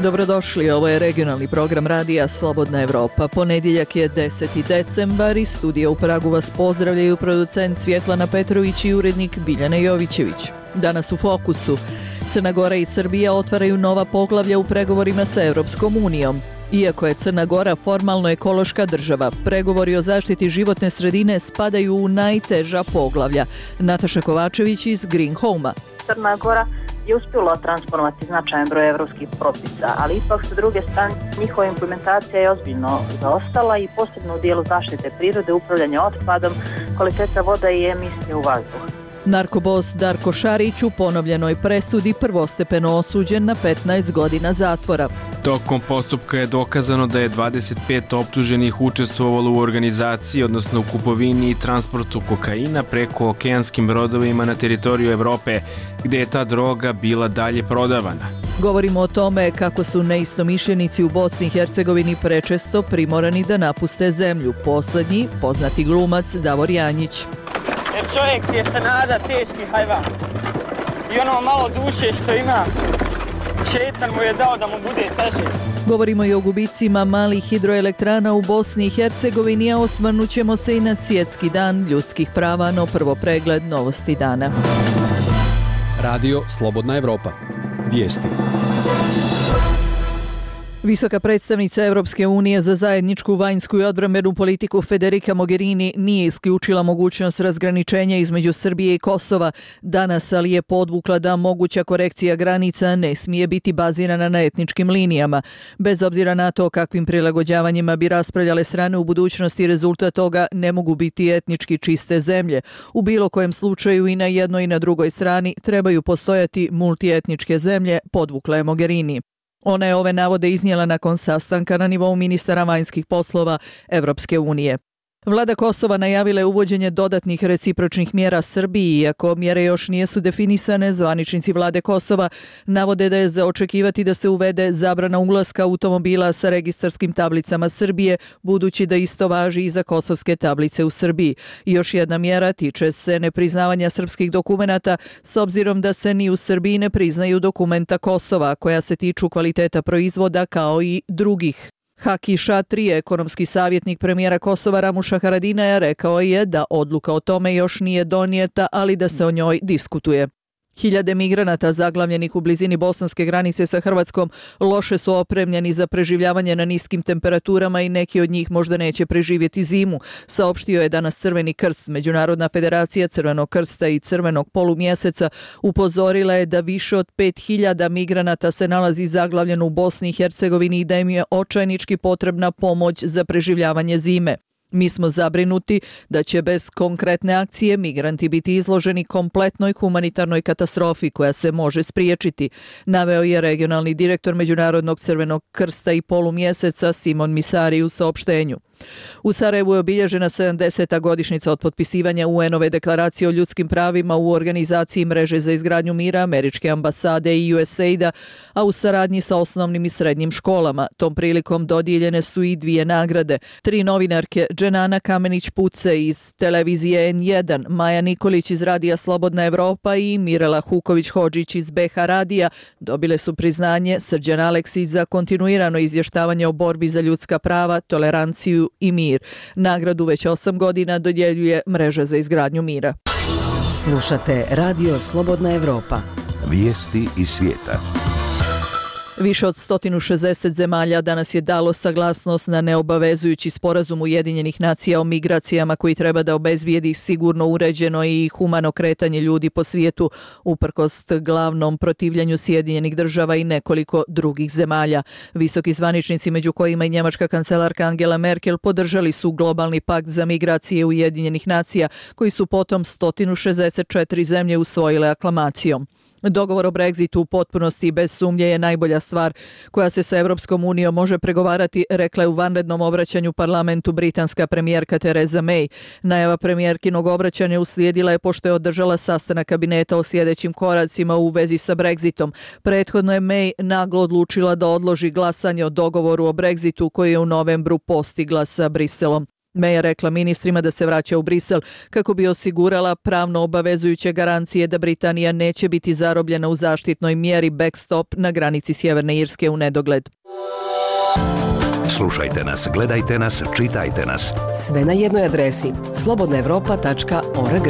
Dobrodošli, ovo je regionalni program radija Slobodna Evropa. Ponedjeljak je 10. decembar i studija u Pragu vas pozdravljaju producent Svjetlana Petrović i urednik Biljana Jovićević. Danas u fokusu. Crna Gora i Srbija otvaraju nova poglavlja u pregovorima sa Europskom unijom. Iako je Crna Gora formalno ekološka država, pregovori o zaštiti životne sredine spadaju u najteža poglavlja. Nataša Kovačević iz Green Home-a. Crna Gora je uspjela transformovati značajan broj evropskih propisa, ali ipak sa druge strane njihova implementacija je ozbiljno zaostala i posebno u dijelu zaštite prirode, upravljanja otpadom, kvaliteta voda i emisije u vazduh. Narkobos Darko Šarić u ponovljenoj presudi prvostepeno osuđen na 15 godina zatvora. Tokom postupka je dokazano da je 25 optuženih učestvovalo u organizaciji, odnosno u kupovini i transportu kokaina preko okeanskim brodovima na teritoriju Evrope, gdje je ta droga bila dalje prodavana. Govorimo o tome kako su neistomišljenici u Bosni i Hercegovini prečesto primorani da napuste zemlju. Poslednji, poznati glumac Davor Janjić. Jer čovjek je se nada teški hajvan i ono malo duše što ima, šetan mu je dao da mu bude teže. Govorimo i o gubicima malih hidroelektrana u Bosni i Hercegovini, a osvrnut ćemo se i na Svjetski dan ljudskih prava, no prvo pregled novosti dana. Radio Slobodna Evropa. Vijesti. Visoka predstavnica Europske unije za zajedničku vanjsku i odbrambenu politiku Federica Mogherini nije isključila mogućnost razgraničenja između Srbije i Kosova danas, ali je podvukla da moguća korekcija granica ne smije biti bazirana na etničkim linijama. Bez obzira na to kakvim prilagođavanjima bi raspravljale strane u budućnosti, rezultat toga ne mogu biti etnički čiste zemlje. U bilo kojem slučaju i na jednoj i na drugoj strani trebaju postojati multietničke zemlje, podvukla je Mogherini. Ona je ove navode iznijela nakon sastanka na nivou ministara vanjskih poslova Evropske unije. Vlada Kosova najavila je uvođenje dodatnih recipročnih mjera Srbiji, iako mjere još nisu definisane. Zvaničnici vlade Kosova navode da je za očekivati da se uvede zabrana ulaska automobila sa registarskim tablicama Srbije, budući da isto važi i za kosovske tablice u Srbiji. I još jedna mjera tiče se nepriznavanja srpskih dokumenata, s obzirom da se ni u Srbiji ne priznaju dokumenta Kosova, koja se tiču kvaliteta proizvoda kao i drugih. Haki Šatri, ekonomski savjetnik premijera Kosova Ramuša Haradinaja, rekao je da odluka o tome još nije donijeta, ali da se o njoj diskutuje. Hiljade migranata zaglavljenih u blizini bosanske granice sa Hrvatskom loše su opremljeni za preživljavanje na niskim temperaturama i neki od njih možda neće preživjeti zimu, saopštio je danas Crveni krst. Međunarodna federacija Crvenog krsta i Crvenog polumjeseca upozorila je da više od 5000 migranata se nalazi zaglavljeno u Bosni i Hercegovini i da im je očajnički potrebna pomoć za preživljavanje zime. Mi smo zabrinuti da će bez konkretne akcije migranti biti izloženi kompletnoj humanitarnoj katastrofi koja se može spriječiti, naveo je regionalni direktor Međunarodnog Crvenog krsta i polumjeseca Simon Misari u saopštenju. U Sarajevu je obilježena 70. godišnjica od potpisivanja UN-ove deklaracije o ljudskim pravima u organizaciji Mreže za izgradnju mira, Američke ambasade i USAID-a, a u saradnji sa osnovnim i srednjim školama. Tom prilikom dodijeljene su i 2 nagrade. 3 novinarke, Dženana Kamenić-Puce iz televizije N1, Maja Nikolić iz radija Slobodna Evropa i Mirela Huković-Hodžić iz BH radija, dobile su priznanje Srđan Aleksić za kontinuirano izvještavanje o borbi za ljudska prava, toleranciju i mir. Nagradu već 8 godina dodjeljuje Mreža za izgradnju mira. Slušate Radio Slobodna Evropa. Vijesti iz svijeta. Više od 160 zemalja danas je dalo saglasnost na neobavezujući sporazum Ujedinjenih nacija o migracijama koji treba da obezbijedi sigurno, uređeno i humano kretanje ljudi po svijetu, uprkos glavnom protivljenju Sjedinjenih država i nekoliko drugih zemalja. Visoki zvaničnici, među kojima i njemačka kancelarka Angela Merkel, podržali su globalni pakt za migracije Ujedinjenih nacija, koji su potom 164 zemlje usvojile aklamacijom. Dogovor o Brexitu u potpunosti i bez sumnje je najbolja stvar koja se sa Evropskom unijom može pregovarati, rekla je u vanrednom obraćanju parlamentu britanska premijerka Theresa May. Najava premijerkinog obraćanja uslijedila je pošto je održala sastanak kabineta o sljedećim koracima u vezi sa Brexitom. Prethodno je May naglo odlučila da odloži glasanje o dogovoru o Brexitu koji je u novembru postigla sa Briselom. May je rekla ministrima da se vraća u Brisel kako bi osigurala pravno obavezujuće garancije da Britanija neće biti zarobljena u zaštitnoj mjeri backstop na granici Sjeverne Irske u nedogled. Slušajte nas, gledajte nas, čitajte nas. Sve na jednoj adresi slobodnaevropa.org.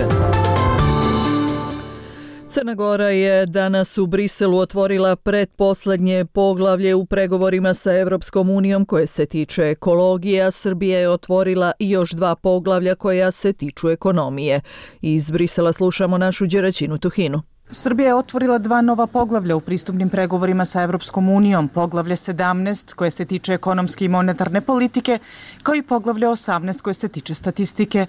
Crna Gora je danas u Briselu otvorila pretposlednje poglavlje u pregovorima sa Evropskom unijom koje se tiče ekologije, a Srbija je otvorila još 2 poglavlja koja se tiču ekonomije. Iz Brisela slušamo našu Đeraćinu Tuhinu. Srbija je otvorila 2 nova poglavlja u pristupnim pregovorima sa Evropskom unijom, poglavlje 17 koje se tiče ekonomske i monetarne politike, kao i poglavlje 18 koje se tiče statistike.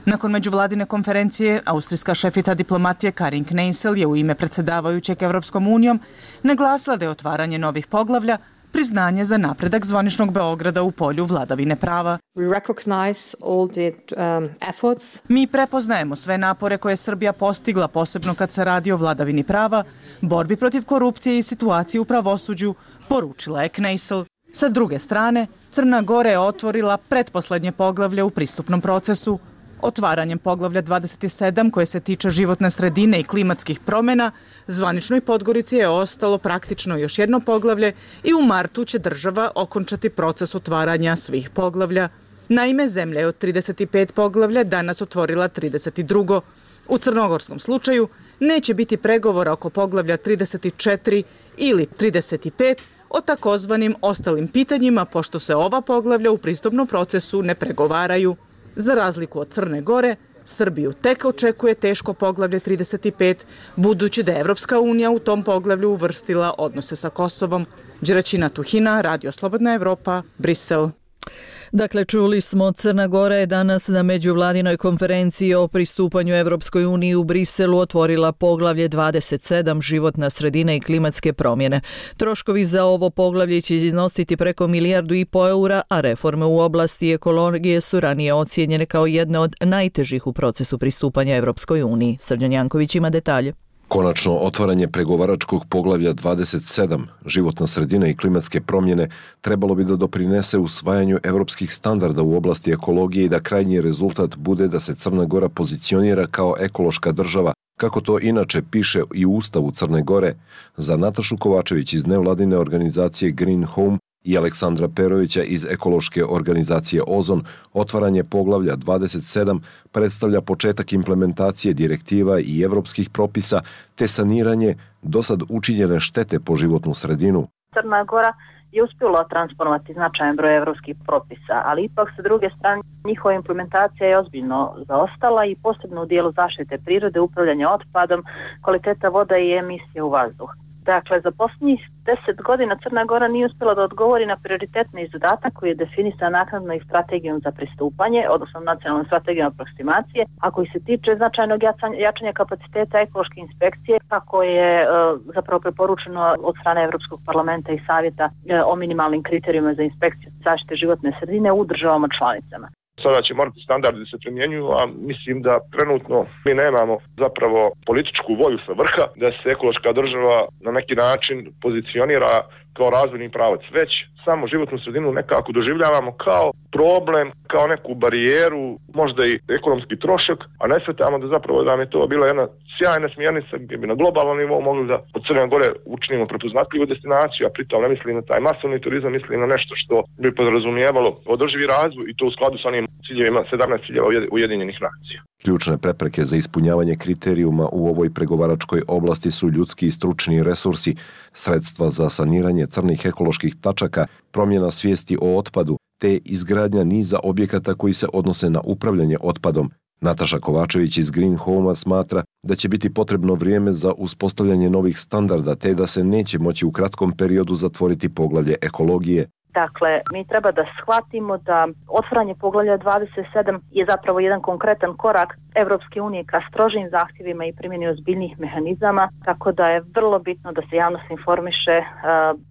Nakon međuvladine konferencije, austrijska šefica diplomatije Karin Kneißl je u ime predsjedavajućeg Evropskom unijom naglasila da je otvaranje novih poglavlja priznanje za napredak zvaničnog Beograda u polju vladavine prava. Mi prepoznajemo sve napore koje je Srbija postigla, posebno kad se radi o vladavini prava, borbi protiv korupcije i situaciji u pravosuđu, poručila je Kneißl. Sa druge strane, Crna Gora je otvorila pretposlednje poglavlje u pristupnom procesu. Otvaranjem poglavlja 27 koje se tiče životne sredine i klimatskih promjena, zvaničnoj Podgorici je ostalo praktično još jedno poglavlje i u martu će država okončati proces otvaranja svih poglavlja. Naime, zemlja je od 35 poglavlja danas otvorila 32. U crnogorskom slučaju neće biti pregovora oko poglavlja 34 ili 35 o takozvanim ostalim pitanjima, pošto se ova poglavlja u pristupnom procesu ne pregovaraju. Za razliku od Crne Gore, Srbiju tek očekuje teško poglavlje 35, budući da je Evropska unija u tom poglavlju uvrstila odnose sa Kosovom. Đeraćina Tuhina, Radio Slobodna Evropa, Brisel. Dakle, čuli smo, Crna Gora je danas na međuvladinoj konferenciji o pristupanju Evropskoj uniji u Briselu otvorila poglavlje 27 životna sredina i klimatske promjene. Troškovi za ovo poglavlje će iznositi preko 1,5 milijardu eura, a reforme u oblasti ekologije su ranije ocijenjene kao jedne od najtežih u procesu pristupanja Evropskoj uniji. Srđan Janković ima detalje. Konačno otvaranje pregovaračkog poglavlja 27, životna sredina i klimatske promjene, trebalo bi da doprinese usvajanju evropskih standarda u oblasti ekologije i da krajnji rezultat bude da se Crna Gora pozicionira kao ekološka država, kako to inače piše i u Ustavu Crne Gore. Za Natašu Kovačević iz nevladine organizacije Green Home i Aleksandra Perovića iz ekološke organizacije Ozon, otvaranje poglavlja 27 predstavlja početak implementacije direktiva i evropskih propisa te saniranje dosad učinjene štete po životnu sredinu. Crna Gora je uspjela transponovati značajan broj evropskih propisa, ali ipak sa druge strane njihova implementacija je ozbiljno zaostala i posebno u dijelu zaštite prirode, upravljanja otpadom, kvaliteta voda i emisije u vazduh. Dakle, za posljednjih 10 godina Crna Gora nije uspjela da odgovori na prioritetni zadatak koji je definisan naknadno i strategijom za pristupanje, odnosno nacionalnom strategijom aproksimacije, a koji se tiče značajnog jačanja kapaciteta ekološke inspekcije, kako je zapravo preporučeno od strane Evropskog parlamenta i savjeta o minimalnim kriterijima za inspekciju zaštite životne sredine u državama članicama. Sada će morati standardi se primjenjuju, a mislim da trenutno mi nemamo zapravo političku volju sa vrha da se ekološka država na neki način pozicionira kao razvojni pravac. Već samo životnu sredinu nekako doživljavamo kao problem, kao neku barijeru, možda i ekonomski trošak, a ne shvatamo da zapravo da je to bila jedna sjajna smjernica gdje bi na globalnom nivou mogli da od Crne Gore učinimo prepoznatljivu destinaciju, a pritom ne mislim na taj masovni turizam, mislim na nešto što bi podrazumijevalo održivi razvoj i to u skladu sa onim ciljevima 17 ciljeva Ujedinjenih nacija. Ključne prepreke za ispunjavanje kriterijuma u ovoj pregovaračkoj oblasti su ljudski i stručni resursi, sredstva za saniranje crnih ekoloških tačaka, promjena svijesti o otpadu, te izgradnja niza objekata koji se odnose na upravljanje otpadom. Nataša Kovačević iz Green Home smatra da će biti potrebno vrijeme za uspostavljanje novih standarda, te da se neće moći u kratkom periodu zatvoriti poglavlje ekologije. Dakle, mi treba da shvatimo da otvaranje poglavlja 27 je zapravo jedan konkretan korak Evropske unije ka strožim zahtjevima i primjeni ozbiljnih mehanizama, tako da je vrlo bitno da se javnost informiše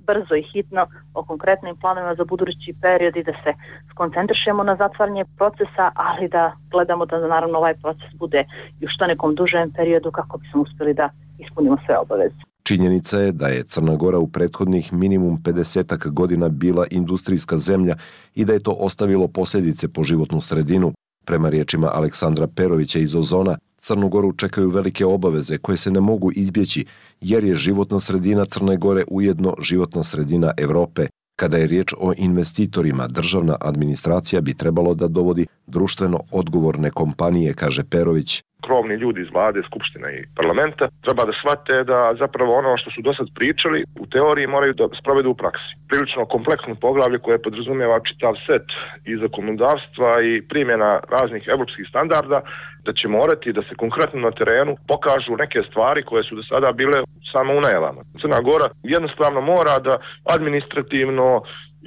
brzo i hitno o konkretnim planovima za budući period i da se skoncentrišemo na zatvaranje procesa, ali da gledamo da naravno ovaj proces bude i u što nekom dužem periodu kako bismo uspjeli da ispunimo sve obaveze. Činjenica je da je Crna Gora u prethodnih minimum 50 godina bila industrijska zemlja i da je to ostavilo posljedice po životnu sredinu. Prema riječima Aleksandra Perovića iz Ozona, Crnu Goru čekaju velike obaveze koje se ne mogu izbjeći jer je životna sredina Crne Gore ujedno životna sredina Evrope. Kada je riječ o investitorima, državna administracija bi trebalo da dovodi društveno odgovorne kompanije, kaže Perović. Krovni ljudi iz vlade, skupštine i parlamenta treba da shvate da zapravo ono što su do sad pričali u teoriji moraju da sprovedu u praksi. Prilično kompleksno poglavlje koje podrazumijeva čitav set i zakonodavstva i primjena raznih evropskih standarda, da će morati da se konkretno na terenu pokažu neke stvari koje su do sada bile samo u najavama. Crna Gora jednostavno mora da administrativno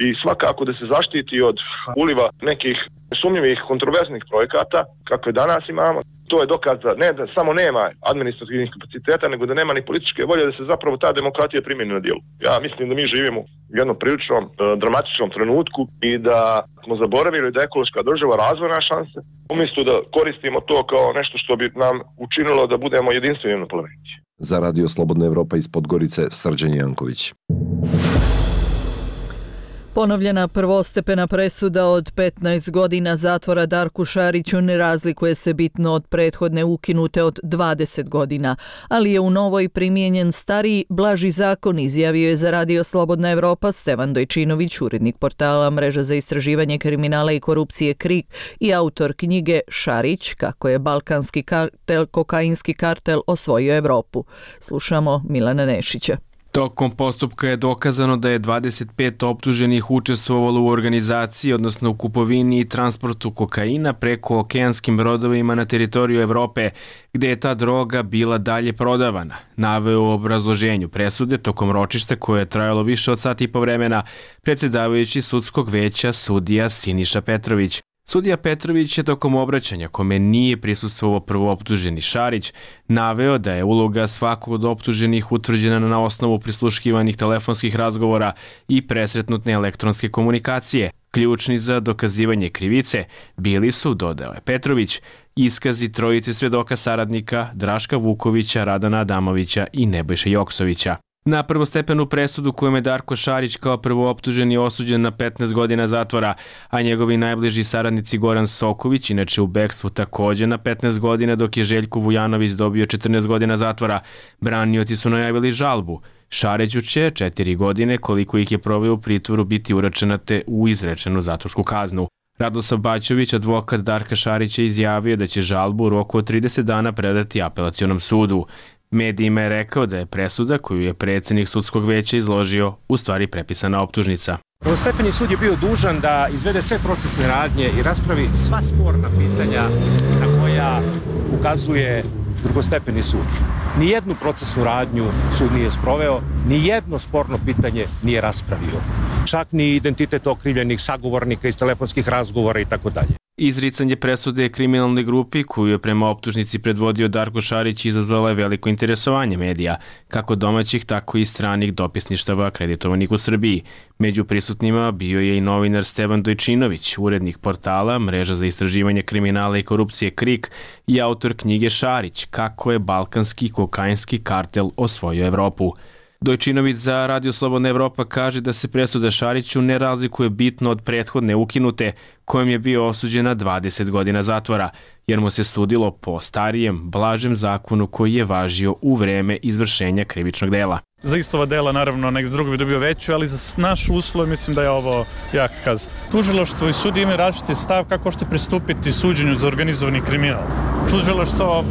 i svakako da se zaštiti od uliva nekih sumnjivih kontroverznih projekata kakve danas imamo. To je dokaz da ne da samo nema administrativnih kapaciteta, nego da nema ni političke volje da se zapravo ta demokratija primjeni na djelu. Ja mislim da mi živimo u jednom prilično dramatičnom trenutku i da smo zaboravili da je ekološka država razvojna šansa, umjesto da koristimo to kao nešto što bi nam učinilo da budemo jedinstveni na planeti. Za Radio Slobodna Evropa iz Podgorice, Srđan Janković. Ponovljena prvostepena presuda od 15 godina zatvora Darku Šariću ne razlikuje se bitno od prethodne ukinute od 20 godina, ali je u novoj primijenjen stariji, blaži zakon, izjavio je za Radio Slobodna Evropa Stevan Dojčinović, urednik portala Mreža za istraživanje kriminala i korupcije KRIK i autor knjige Šarić, kako je balkanski kartel, kokainski kartel osvojio Evropu. Slušamo Milana Nešića. Tokom postupka je dokazano da je 25 optuženih učestvovalo u organizaciji, odnosno u kupovini i transportu kokaina preko okeanskim brodovima na teritoriju Evrope, gde je ta droga bila dalje prodavana. Naveo u obrazloženju presude tokom ročišta koje je trajalo više od sat i po vremena predsjedavajući sudskog veća sudija Siniša Petrović. Sudija Petrović je tokom obraćanja, kome nije prisustvovao prvooptuženi Šarić, naveo da je uloga svakog od optuženih utvrđena na osnovu prisluškivanih telefonskih razgovora i presretnutne elektronske komunikacije. Ključni za dokazivanje krivice bili su, dodao je Petrović, iskazi trojice svedoka saradnika Draška Vukovića, Radana Adamovića i Nebojše Joksovića. Na prvostepenu presudu kojom je Darko Šarić kao prvooptuženi osuđen na 15 godina zatvora, a njegovi najbliži saradnici Goran Soković, inače u bekstvu takođe na 15 godina, dok je Željko Vujanović dobio 14 godina zatvora, branioci su najavili žalbu. Šariću će 4 godine, koliko ih je proveo u pritvoru, biti uračunate u izrečenu zatvorsku kaznu. Radoslav Baćović, advokat Darka Šarića, izjavio da će žalbu u roku od 30 dana predati apelacionom sudu. Medijima je rekao da je presuda koju je predsjednik sudskog veća izložio u stvari prepisana optužnica. Prvostepeni sud je bio dužan da izvede sve procesne radnje i raspravi sva sporna pitanja na koja ukazuje drugostepeni sud. Nijednu procesnu radnju sud nije sproveo, nijedno sporno pitanje nije raspravio. Čak ni identitet okrivljenih sagovornika iz telefonskih razgovora i tako dalje. Izricanje presude kriminalnoj grupi koju je prema optužnici predvodio Darko Šarić izazvala je veliko interesovanje medija, kako domaćih, tako i stranih dopisništava akreditovanih u Srbiji. Među prisutnima bio je i novinar Stevan Dojčinović, urednik portala Mreža za istraživanje kriminala i korupcije KRIK i autor knjige Šarić, kako je balkanski kokainski kartel osvojio Evropu. Dojčinović za Radio Slobodna Evropa kaže da se presuda Šariću ne razlikuje bitno od prethodne ukinute, kojom je bio osuđen na 20 godina zatvora, jer mu se sudilo po starijem, blažem zakonu koji je važio u vreme izvršenja krivičnog dela. Za istova dela, naravno, negdje drugo bi dobio veću, ali za naš uslov mislim da je ovo jak kazna. Tužilaštvo i sudi imaju različiti stav kako ćete pristupiti suđenju za organizovani kriminal. Tužilaštvo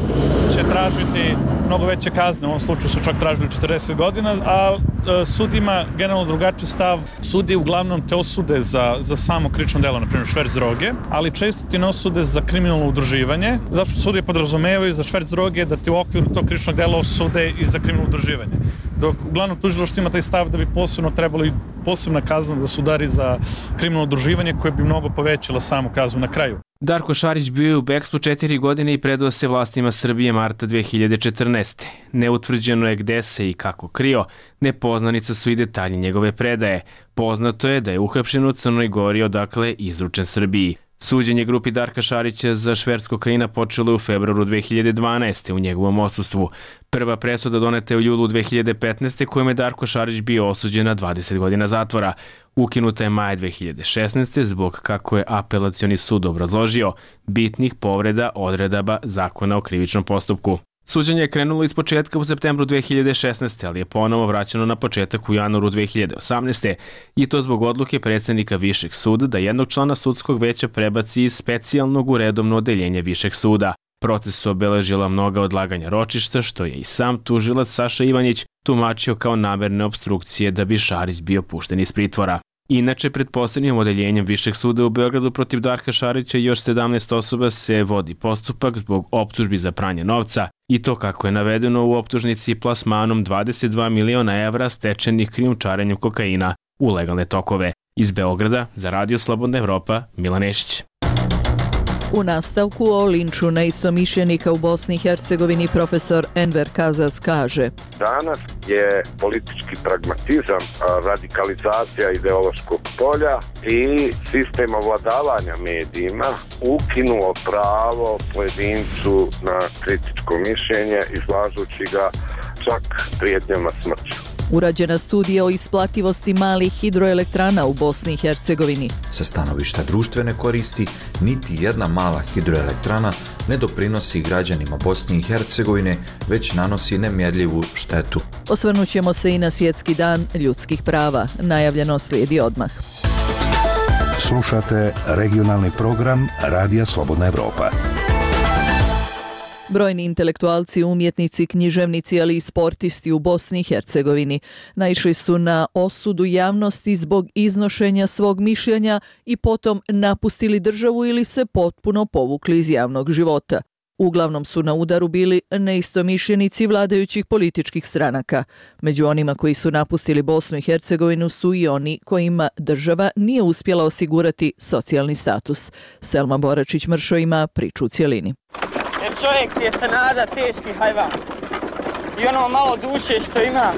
će tražiti mnogo veće kazne, u ovom slučaju su čak tražili 40 godina, a sud ima generalno drugačiji stav. Sudi uglavnom te osude za samo krivično delo, na primjer šverc droge, ali često ti ne osude za kriminalno udruživanje, zato što sudi podrazumevaju za šverc droge da ti u okviru tog krivičnog dela osude i za kriminalno udruživanje. Dok uglavnom tužilaštvo ima taj stav da bi posebno trebali posebna kazna da se udari za kriminalno udruživanje koje bi mnogo povećala samu kaznu na kraju. Darko Šarić bio je u bekstvu 4 godine i predao se vlastima Srbije marta 2014. Neutvrđeno je gde se i kako krio, nepoznanica su i detalji njegove predaje. Poznato je da je uhapšen u Crnoj Gori, odakle je izručen Srbiji. Suđenje grupi Darka Šarića za šverc kokaina počelo je u februaru 2012. u njegovom odsustvu. Prva presuda doneta je u julu 2015. kojom je Darko Šarić bio osuđen na 20 godina zatvora. Ukinuta je maja 2016. zbog, kako je apelacioni sud obrazložio, bitnih povreda odredaba Zakona o krivičnom postupku. Suđenje je krenulo iz početka u septembru 2016. ali je ponovo vraćeno na početak u januaru 2018. i to zbog odluke predsjednika Višeg suda da jednog člana sudskog veća prebaci iz specijalnog u redovno odeljenje Višeg suda. Proces su obeležila mnoga odlaganja ročišta, što je i sam tužilac Saša Ivanjić tumačio kao namerne opstrukcije da bi Šarić bio pušten iz pritvora. Inače, pred posebnim odeljenjem Višeg suda u Beogradu protiv Darka Šarića i još 17 osoba se vodi postupak zbog optužbi za pranje novca i to, kako je navedeno u optužnici, plasmanom 22 miliona evra stečenih krijumčarenjem kokaina u legalne tokove. Iz Beograda za Radio Slobodna Evropa, Milan Nešić. U nastavku o linču neistomišljenika u Bosni i Hercegovini profesor Enver Kazas kaže: Danas je politički pragmatizam, radikalizacija ideološkog polja i sistem ovladavanja medijima ukinuo pravo pojedincu na kritičko mišljenje, izlažući ga čak prijetnjama smrću. Urađena studija o isplativosti malih hidroelektrana u Bosni i Hercegovini. Sa stanovišta društvene koristi, niti jedna mala hidroelektrana ne doprinosi građanima Bosne i Hercegovine, već nanosi nemjerljivu štetu. Osvrnut ćemo se i na Svjetski dan ljudskih prava. Najavljeno slijedi odmah. Slušate regionalni program Radija Slobodna Evropa. Brojni intelektualci, umjetnici, književnici, ali i sportisti u Bosni i Hercegovini naišli su na osudu javnosti zbog iznošenja svog mišljenja i potom napustili državu ili se potpuno povukli iz javnog života. Uglavnom su na udaru bili neistomišljenici vladajućih političkih stranaka. Među onima koji su napustili Bosnu i Hercegovinu su i oni kojima država nije uspjela osigurati socijalni status. Selma Boračić-Mršo ima priču u cjelini. Jer čovjek je se nada teški hajvan. I ono malo duše što ima,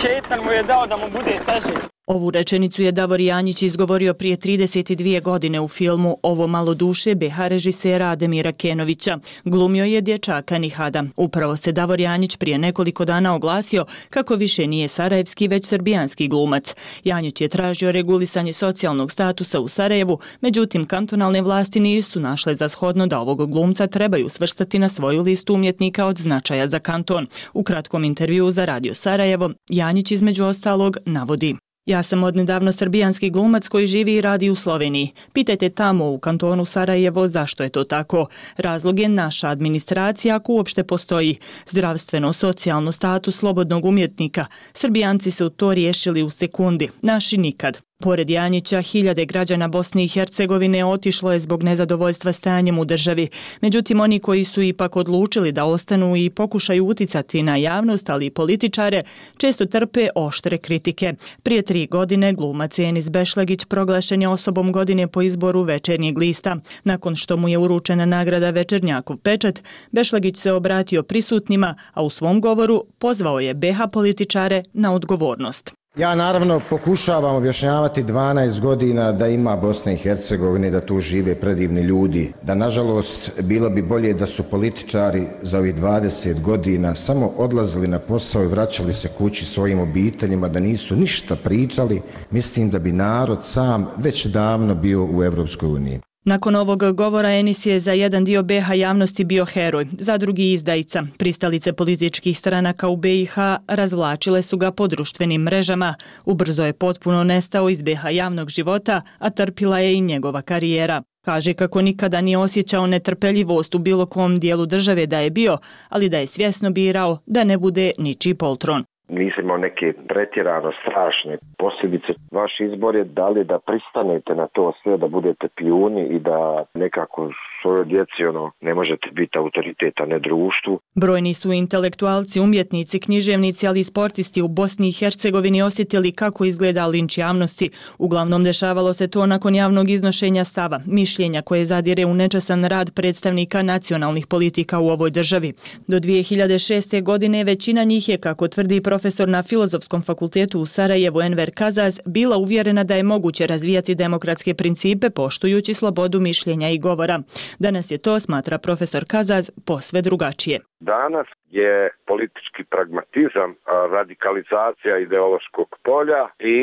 šetan mu je dao da mu bude teže. Ovu rečenicu je Davor Janjić izgovorio prije 32 godine u filmu Ovo malo duše BH režisera Ademira Kenovića. Glumio je dječaka Nihada. Upravo se Davor Janjić prije nekoliko dana oglasio kako više nije sarajevski, već srbijanski glumac. Janjić je tražio regulisanje socijalnog statusa u Sarajevu, međutim kantonalne vlasti nisu našle za shodno da ovog glumca trebaju svrstati na svoju listu umjetnika od značaja za kanton. U kratkom intervjuu za Radio Sarajevo, Janjić između ostalog navodi: Ja sam odnedavno srbijanski glumac koji živi i radi u Sloveniji. Pitajte tamo u kantonu Sarajevo zašto je to tako. Razlog je naša administracija, ako uopšte postoji. Zdravstveno, socijalno status slobodnog umjetnika. Srbijanci su to riješili u sekundi, naši nikad. Pored Janjića, hiljade građana Bosne i Hercegovine otišlo je zbog nezadovoljstva stanjem u državi. Međutim, oni koji su ipak odlučili da ostanu i pokušaju uticati na javnost, ali i političare, često trpe oštre kritike. Prije 3 godine glumac Enis Bešlegić proglašen je osobom godine po izboru Večernjeg lista. Nakon što mu je uručena nagrada Večernjakov pečat, Bešlegić se obratio prisutnima, a u svom govoru pozvao je BH političare na odgovornost. Ja naravno pokušavam objašnjavati 12 godina da ima Bosne i Hercegovine, da tu žive predivni ljudi, da nažalost bilo bi bolje da su političari za ovih 20 godina samo odlazili na posao i vraćali se kući svojim obiteljima, da nisu ništa pričali. Mislim da bi narod sam već davno bio u Evropskoj uniji. Nakon ovog govora Enis je za jedan dio BiH javnosti bio heroj, za drugi izdajica. Pristalice političkih stranaka u BiH razvlačile su ga po društvenim mrežama. Ubrzo je potpuno nestao iz BiH javnog života, a trpila je i njegova karijera. Kaže kako nikada nije osjećao netrpeljivost u bilo kom dijelu države da je bio, ali da je svjesno birao da ne bude ničiji poltron. Nisam imao neke pretjerano strašne posljedice. Vaš izbor je da li da pristanete na to sve, da budete pijuni i da nekako svojoj djeci ne možete biti autoriteta, ne društvu. Brojni su intelektualci, umjetnici, književnici, ali i sportisti u Bosni i Hercegovini osjetili kako izgleda linč javnosti. Uglavnom dešavalo se to nakon javnog iznošenja stava, mišljenja koje zadire u nečasan rad predstavnika nacionalnih politika u ovoj državi. Do 2006. godine većina njih je, kako tvrdi profesor profesor na Filozofskom fakultetu u Sarajevu Enver Kazaz bila uvjerena da je moguće razvijati demokratske principe poštujući slobodu mišljenja i govora. Danas je to, smatra profesor Kazaz, posve drugačije. Danas je politički pragmatizam, radikalizacija ideološkog polja i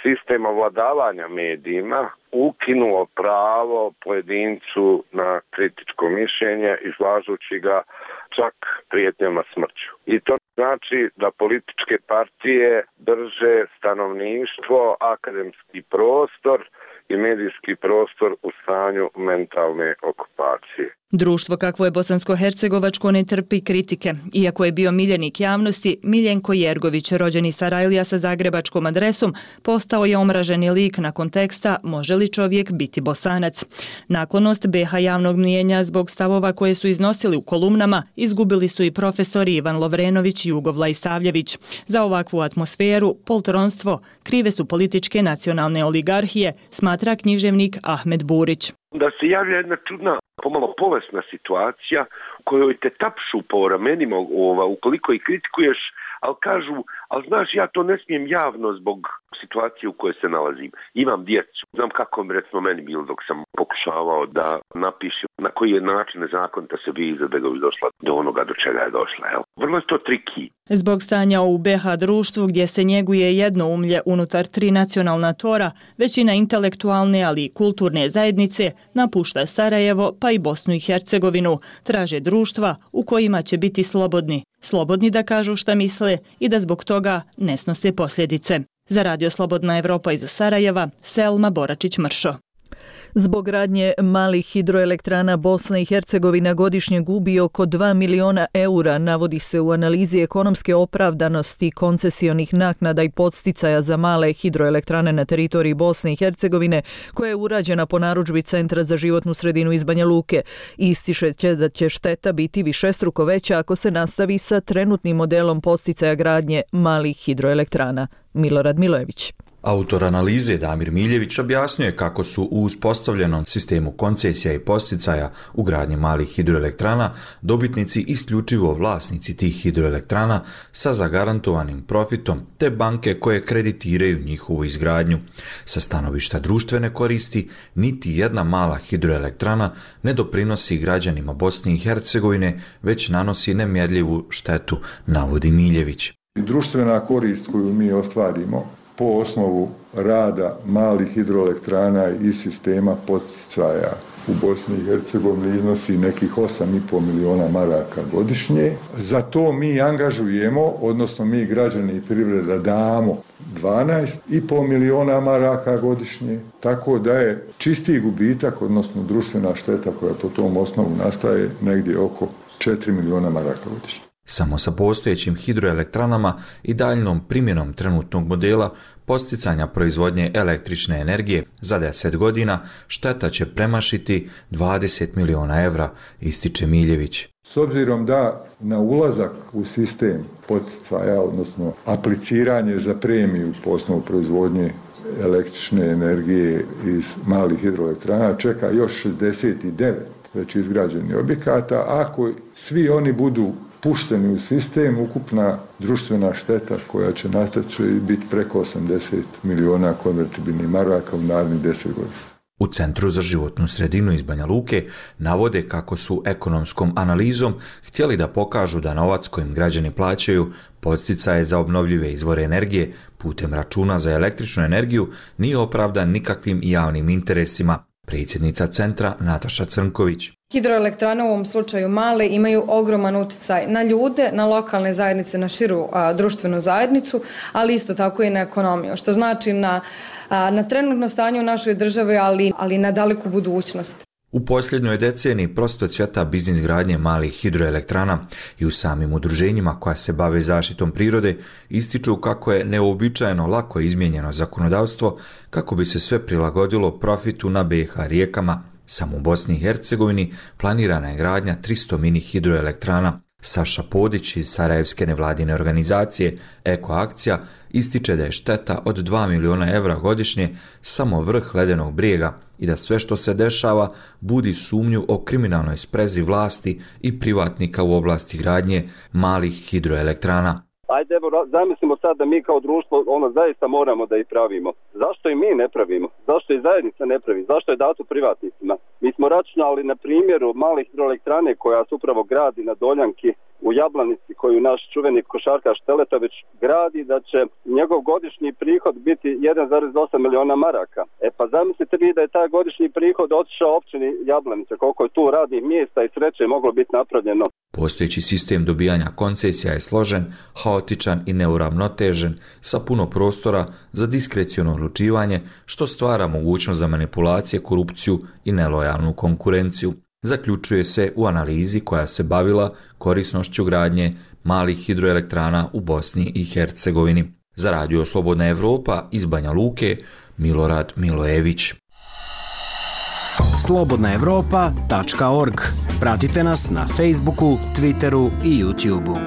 sistem ovladavanja medijima ukinuo pravo pojedincu na kritičko mišljenje, izlažući ga čak prijetnjama smrću. I to znači da političke partije drže stanovništvo, akademski prostor i medijski prostor u stanju mentalne okupacije. Društvo kakvo je bosansko-hercegovačko ne trpi kritike. Iako je bio miljenik javnosti, Miljenko Jergović, rođeni Sarajlija sa zagrebačkom adresom, postao je omraženi lik nakon teksta "Može li čovjek biti Bosanac?". Naklonost BH javnog mnijenja zbog stavova koje su iznosili u kolumnama izgubili su i profesori Ivan Lovrenović i Jugo Vlaisavljević. Za ovakvu atmosferu, poltronstvo, krive su političke nacionalne oligarhije, smatra književnik Ahmed Burić. Da se javlja jedna čudna, pomalo bolesna situacija u kojoj te tapšu po ramenima ukoliko ih kritikuješ, ali kažu, ali znaš, ja to ne smijem javno zbog situacije u kojoj se nalazim. Imam djecu. Znam kako bi recimo meni bilo dok sam pokušavao da napišem na koji je način nezakonita se viza da ga bi došla do onoga do čega je došla. Jel? Vrlo je to triki. Zbog stanja u BH društvu gdje se njeguje jednoumlje unutar 3 nacionalna tora, većina intelektualne ali i kulturne zajednice napušta Sarajevo pa i Bosnu i Hercegovinu. Traže društva u kojima će biti slobodni. Slobodni da kažu šta misle i da zbog toga ne snose posljedice. Za Radio Slobodna Evropa iz Sarajeva, Selma Boračić-Mršo. Zbog gradnje malih hidroelektrana Bosna i Hercegovina godišnje gubi oko 2 miliona eura, navodi se u analizi ekonomske opravdanosti koncesionih naknada i podsticaja za male hidroelektrane na teritoriji Bosne i Hercegovine, koja je urađena po narudžbi Centra za životnu sredinu iz Banja Luke. Ističe će da će šteta biti višestruko veća ako se nastavi sa trenutnim modelom podsticaja gradnje malih hidroelektrana. Milorad Milojević. Autor analize Damir Miljević objasnjuje kako su u uspostavljenom sistemu koncesija i podsticaja u gradnji malih hidroelektrana dobitnici isključivo vlasnici tih hidroelektrana sa zagarantovanim profitom te banke koje kreditiraju njihovu izgradnju. Sa stanovišta društvene koristi, niti jedna mala hidroelektrana ne doprinosi građanima Bosne i Hercegovine, već nanosi nemjerljivu štetu, navodi Miljević. Društvena korist koju mi ostvarimo po osnovu rada malih hidroelektrana i sistema podsticaja u Bosni i Hercegovini iznosi nekih 8,5 miliona maraka godišnje. Za to mi angažujemo, odnosno mi građani i privreda damo 12,5 miliona maraka godišnje, tako da je čisti gubitak, odnosno društvena šteta koja po tom osnovu nastaje negdje oko 4 miliona maraka godišnje. Samo sa postojećim hidroelektranama i daljnom primjenom trenutnog modela podsticanja proizvodnje električne energije za 10 godina šteta će premašiti 20 miliona evra, ističe Miljević. S obzirom da na ulazak u sistem podsticaja, odnosno apliciranje za premiju po osnovu proizvodnje električne energije iz malih hidroelektrana čeka još 69 već izgrađenih objekata, ako svi oni budu pušteni u sistem, ukupna društvena šteta koja će nastati će biti preko 80 miliona konvertibilnih maraka u narednih 10 godina. U Centru za životnu sredinu iz Banja Luke navode kako su ekonomskom analizom htjeli da pokažu da novac kojim građani plaćaju podsticaje za obnovljive izvore energije putem računa za električnu energiju nije opravdan nikakvim javnim interesima. Predsjednica centra Nataša Crnković. Hidroelektrane u ovom slučaju male imaju ogroman utjecaj na ljude, na lokalne zajednice, na širu društvenu zajednicu, ali isto tako i na ekonomiju, što znači na trenutno stanje u našoj državi, ali na daleku budućnost. U posljednjoj deceniji prosto cvjeta biznis gradnje malih hidroelektrana i u samim udruženjima koja se bave zaštitom prirode ističu kako je neuobičajeno lako izmijenjeno zakonodavstvo kako bi se sve prilagodilo profitu na BiH rijekama. Samo u Bosni i Hercegovini planirana je gradnja 300 mini hidroelektrana. Saša Podić iz Sarajevske nevladine organizacije Eko Akcija ističe da je šteta od 2 miliona evra godišnje samo vrh ledenog brijega i da sve što se dešava budi sumnju o kriminalnoj sprezi vlasti i privatnika u oblasti gradnje malih hidroelektrana. Ajde, evo, zamislimo sad da mi kao društvo zaista moramo da ih pravimo. Zašto i mi ne pravimo? Zašto i zajednica ne pravi? Zašto je dato privatnicima? Mi smo računali na primjeru malih hidroelektrane koja se upravo gradi na Doljanki u Jablanici, koju naš čuveni košarkaš Teletović gradi, da će njegov godišnji prihod biti 1,8 miliona maraka. Pa zamislite vi da je taj godišnji prihod otišao općini Jablanica, koliko je tu radnih mjesta i sreće moglo biti napravljeno. Postojeći sistem dobijanja koncesija je složen, haotičan i neuravnotežen, sa puno prostora za diskreciono odlučivanje, što stvara mogućnost za manipulacije, korupciju i nelojalnu konkurenciju. Zaključuje se u analizi koja se bavila korisnošću gradnje malih hidroelektrana u Bosni i Hercegovini. Za Radio Slobodna Evropa iz Banja Luke, Milorad Milojević. slobodnaevropa.org. Pratite nas na Facebooku, Twitteru i YouTubeu.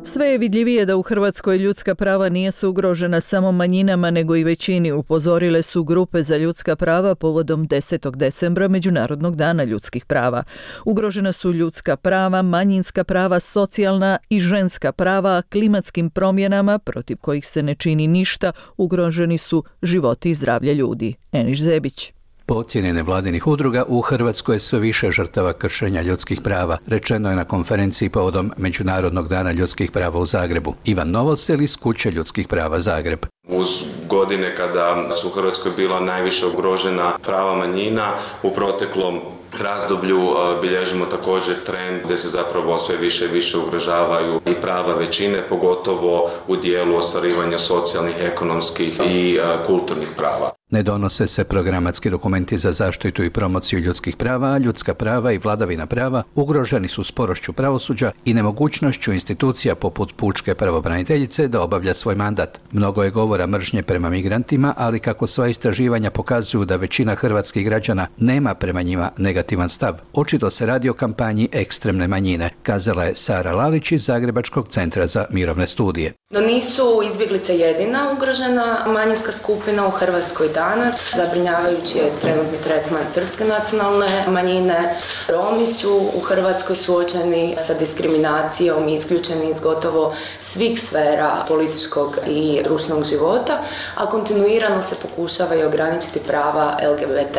Sve je vidljivije da u Hrvatskoj ljudska prava nisu ugrožena samo manjinama nego i većini, upozorile su grupe za ljudska prava povodom 10. decembra Međunarodnog dana ljudskih prava. Ugrožena su ljudska prava, manjinska prava, socijalna i ženska prava, klimatskim promjenama protiv kojih se ne čini ništa, ugroženi su životi i zdravlje ljudi. Eniš Zebić. Po ocjeni nevladinih udruga, u Hrvatskoj je sve više žrtava kršenja ljudskih prava, rečeno je na konferenciji povodom Međunarodnog dana ljudskih prava u Zagrebu. Ivan Novosel iz Kuće ljudskih prava Zagreb. Uz godine kada su u Hrvatskoj bila najviše ugrožena prava manjina, u proteklom razdoblju bilježimo također trend gdje se zapravo sve više i više ugrožavaju i prava većine, pogotovo u dijelu ostvarivanja socijalnih, ekonomskih i kulturnih prava. Ne donose se programatski dokumenti za zaštitu i promociju ljudskih prava, a ljudska prava i vladavina prava ugroženi su sporošću pravosuđa i nemogućnošću institucija poput pučke pravobraniteljice da obavlja svoj mandat. Mnogo je govora mržnje prema migrantima, ali kako sva istraživanja pokazuju da većina hrvatskih građana nema prema njima negativan stav, očito se radi o kampanji ekstremne manjine, kazala je Sara Lalić iz Zagrebačkog centra za mirovne studije. No nisu izbjeglice jedina ugrožena manjinska skupina u Hrvatskoj danas. Zabrinjavajući je trenutni tretman srpske nacionalne manjine. Romi su u Hrvatskoj suočeni sa diskriminacijom i isključeni iz gotovo svih sfera političkog i društvenog života, a kontinuirano se pokušava i ograničiti prava LGBT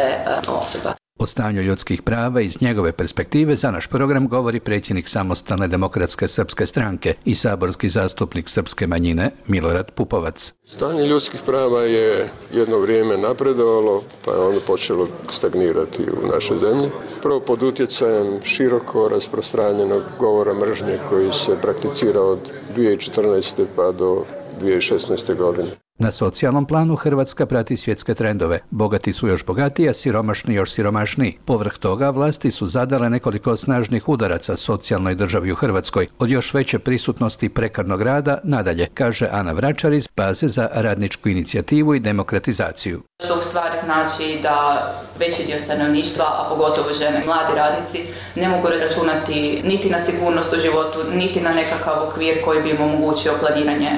osoba. O stanju ljudskih prava iz njegove perspektive za naš program govori predsjednik Samostalne demokratske srpske stranke i saborski zastupnik srpske manjine Milorad Pupovac. Stanje ljudskih prava je jedno vrijeme napredovalo, pa je onda počelo stagnirati u našoj zemlji. Prvo pod utjecajem široko rasprostranjenog govora mržnje koji se prakticira od 2014. pa do 2016. godine. Na socijalnom planu Hrvatska prati svjetske trendove. Bogati su još bogatiji, a siromašni još siromašniji. Povrh toga, vlasti su zadale nekoliko snažnih udaraca socijalnoj državi u Hrvatskoj, od još veće prisutnosti prekarnog rada nadalje, kaže Ana Vračar iz Baze za radničku inicijativu i demokratizaciju. Što u stvari znači da veći dio stanovništva, a pogotovo žene, mladi radnici, ne mogu računati niti na sigurnost u životu, niti na nekakav okvir koji bi im omogućio planiranje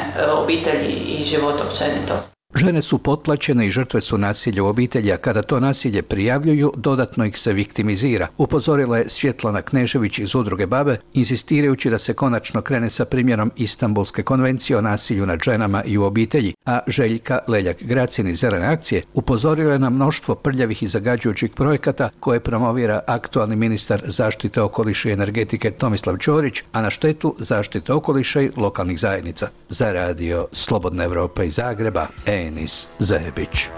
obitelji i života općenito. Žene su potplaćene i žrtve su nasilja u obitelji, a kada to nasilje prijavljuju, dodatno ih se viktimizira. Upozorila je Svjetlana Knežević iz Udruge Babe, insistirajući da se konačno krene sa primjenom Istanbulske konvencije o nasilju nad ženama i u obitelji, a Željka Leljak-Gracin iz Zelene akcije upozorila je na mnoštvo prljavih i zagađujućih projekata koje promovira aktualni ministar zaštite okoliša i energetike Tomislav Ćorić, a na štetu zaštite okoliša i lokalnih zajednica. Za Radio Slobodna Evropa iz Zagreba, Enis Zebić.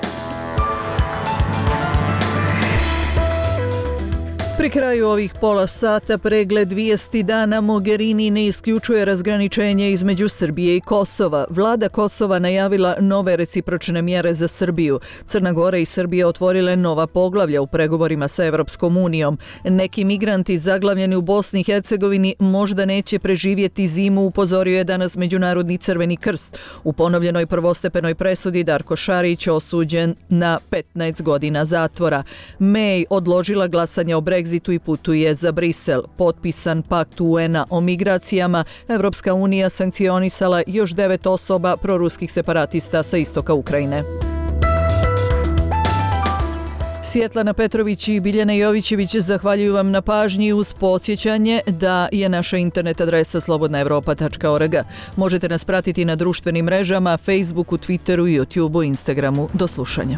Pri kraju ovih pola sata pregled vijesti dana. Mogherini ne isključuje razgraničenje između Srbije i Kosova. Vlada Kosova najavila nove recipročne mjere za Srbiju. Crna Gora i Srbija otvorile nova poglavlja u pregovorima sa Evropskom unijom. Neki migranti zaglavljeni u Bosni i Hercegovini možda neće preživjeti zimu, upozorio je danas Međunarodni Crveni krst. U ponovljenoj prvostepenoj presudi Darko Šarić osuđen na 15 godina zatvora. May odložila glasanje o Brexitu i putuje za Brisel. Potpisan pakt UN-a o migracijama, Evropska unija sankcionisala još 9 osoba proruskih separatista sa istoka Ukrajine. Svjetlana Petrović i Biljana Jovićević zahvaljuju vam na pažnji uz podsjećanje da je naša internet adresa slobodnaevropa.org. Možete nas pratiti na društvenim mrežama, Facebooku, Twitteru, YouTubeu, Instagramu. Do slušanja.